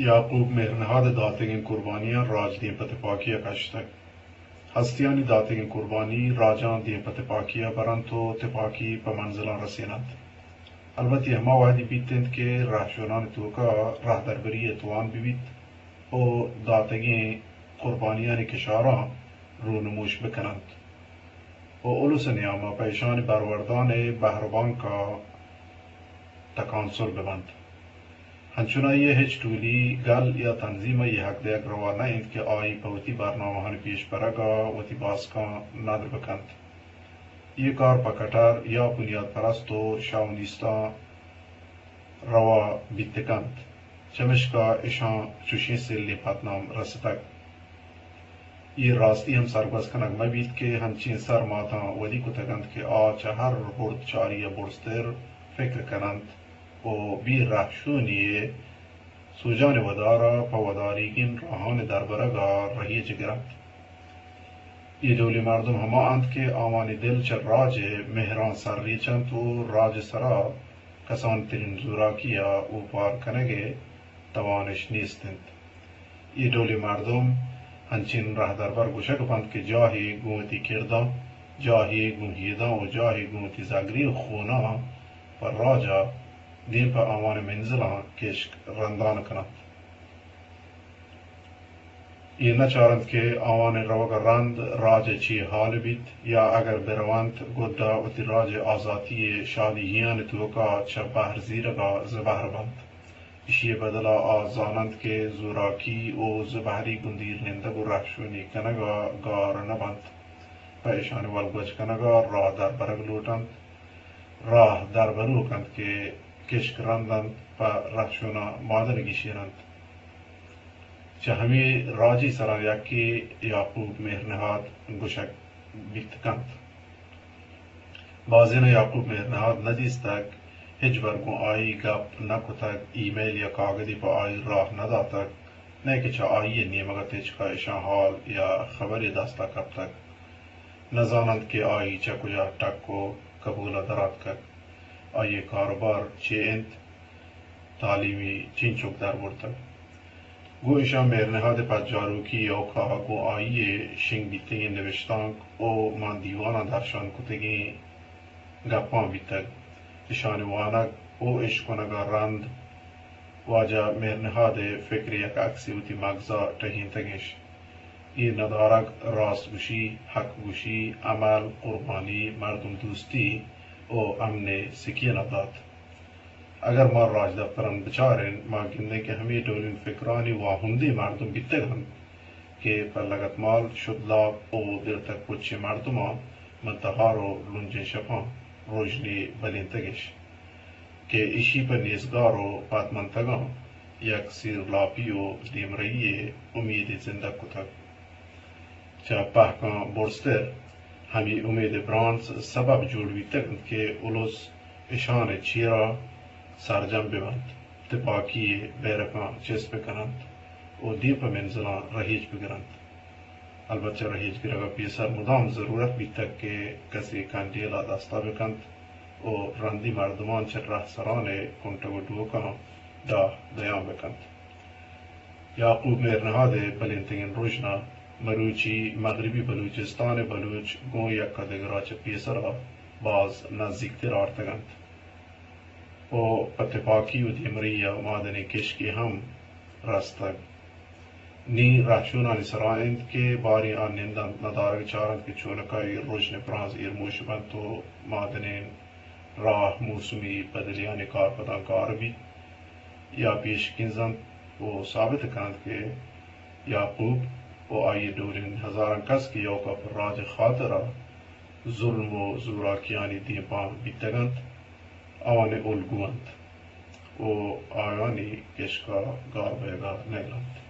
یعقوب مہرنہاد ءِ داتگیں قربانیاں راج دیم پہ تپاکی ءَ کشتگ۔ ہستیانی داتگیں قربانی راجاں دیم پہ تپاکی ءَ برنت ءُ تپاکی پہ منزلاں رسیننت۔ البت اے ہما وہدی بیت انت کہ رہشونانی توکا راہدربری ءِ توان بہ بیت ءُ داتگیں قربانیانی کشاراں رونموش بکننت ءُ الس ءِ نیاما پہ اشانی بروردان ءِ بہر ءُ بانک ءَ تکانسر بہ بنت۔ ہنچنائی ءَ ہچ ٹولی، گل یا تنظیم ءَ اے حق دیگ روا نہ انت کہ آئی پہ وتی برنامہانی پیش برگ ءَ وتی باسکاں ندر بکنت۔ اے کار پہ کٹر یا بنیاد پرست ءُ شاونیستاں روا بیت کنت، چمیشکا اشاں چوشیں سلیں پدنام رستگ۔ اے راستی ہم سرگوز کنگ مہ بیت کہ ہنچیں سرماتاں ودی کتگ انت کہ آ چہ ہر ہرد چاری ءَ برزتر فکر کن انت ءُ بے رہشونی ءِ سوجانی ودار ءَ پہ وداریگیں راہانی دربرگ ءَ رہیج گر انت۔ اے ڈولیں مردم ہما انت کہ آوانی دل چہ راج ءِ مہراں سر ریچ انت ءُ راج ءِ سرا کسان ترین زوراکی ءَ اوپار کنگ ءِ توانش نیست انت۔ اے ڈولیں مردم انچیں رہدربر گوشگ بنت کہ جاہے گوں وتی کرداں، جاہے گوں ہیداں ءُ جاہے گوں وتی زگریں خوناں پہ راج ءَ دیم پہ آوانی منزلاں کشک رندان کن انت۔ اے نہ چار انت کہ آوانی روگ ءَ رند راج ءِ چی حال بیت، یا اگر بہ رونت گڈا وتی راج ءِ آزاتی ءِ شادی یانی توکا چہ بہر زیرگ ءَ زبہر بنت۔ ایشی ءِ بدل ءَ آ زان انت کہ زوراکی ءُ زبہری گوں دیر نندگ ءُ رہشونی کنگ ءَ گار نہ بنت، پہ اشانی ولگوج کنگ ءَ راہ دربرگ لوٹ انت۔ راہ دربروک انت کہ کشک رند انت، پہ رہشوناں مادن گیشین انت۔ چہ ہمے راجی سراں یکے یعقوب مہرنہاد گوشگ بیت کنت۔ بازیناں یعقوب مہرنہاد نہ دیستگ، ہچبر گوں آئی گپ نہ کتگ، ای میل یا کاگدے پہ آئی راہ نہ داتگ، نئیکہ چہ آئی ءِ نیمگ ءَ تچک ءَ اشاں حال یا خبرے دست ءَ کپتگ۔ نہ زان انت کہ آئی چہ کجا ٹک ءُ کبول ءَ در آتکگ، آئی ءِ کاروبار چے انت، تعلیمی چینچک در برتگ۔ گوں اشاں مہرنہاد ءِ پجاروکی ءِ ایوک ءَ گوں آئی ءِ شنگ بیتگیں نبشتانک ءُ ماں دیواناں درشان کتگیں گپاں بیتگ۔ اشانی وانگ ءُ اشکنگ ءَ رند واجہ مہرنہاد ءِ فکر ءِ یک عکسے وتی مگز ءَ ٹہینتگ اش۔ اے ندارگ، راست گوشی، حق گوشی، عمل، قربانی، مردم دوستی ءُ امن ءِ سکین ءَ دات۔ اگر ما راجدپتراں بچاریں، ما گندیں کہ ہمے ڈولیں فکرانی واہندیں مردم بیتگ انت کہ پہ لگتمال، شدلاپ ءُ دلتک پچیں مردماں ماں تہار ءُ لنجیں شپاں روژنے بلینتگ اش کہ ایشی پہ نیزگار ءُ پدمنتگاں یک سیرلاپی ءُ دیمرئی ءِ امیدے زندگ کتگ۔ چہ پہکاں برزتر ہمے امید ءِ برانز سبب جوڑ بیتگ انت کہ الس اشان ءِ چیرا سرجم بہ بنت، تپاکی ءِ بیرکاں چست بہ کن انت ءُ دیم پہ منزلاں رہیج بہ گر انت۔ البت چہ رہیج گرگ ءَ پیسر مدام ضرورت بیتگ کہ کسے کنڈیل ءَ دست ءَ بہ کنت ءُ رندی مردمان چہ رہسران ءِ کنٹگ ءُ ڈوکاں ڈاہ دیان بہ کنت۔ یعقوب مہرنہاد ءِ بلینتگیں رژنا مروچی مغربی بلوچستان ءِ بلوچ گوں یک ءَ دگر ءَ چہ پیسر ءَ باز نزیکتر آرتگ انت ءُ پہ تپاکی ءُ دیمرئی ءَ مادنیں کشکے ہم رستگ۔ نی رہشونانی سرا انت کہ باریں آ نند انت، ندارگ چار انت کہ چونکا اے رژن ءِ برانز ایرموش بنت ءُ مادنیں راہ موسمی بدلیانی کارپداں گار بیت یا پیش کنزنت ءُ ثابت کننت کہ یعقوب ءُ آئی ءِ ڈولیں ہزاراں کس کہ ایوکا پہ راج ءِ خاطرا ظلم ءُ زوراکیانی دیمپان بیتگ انت، آوانی الگو انت ءُ آیانی کشکا گار بئیگا نئیل انت۔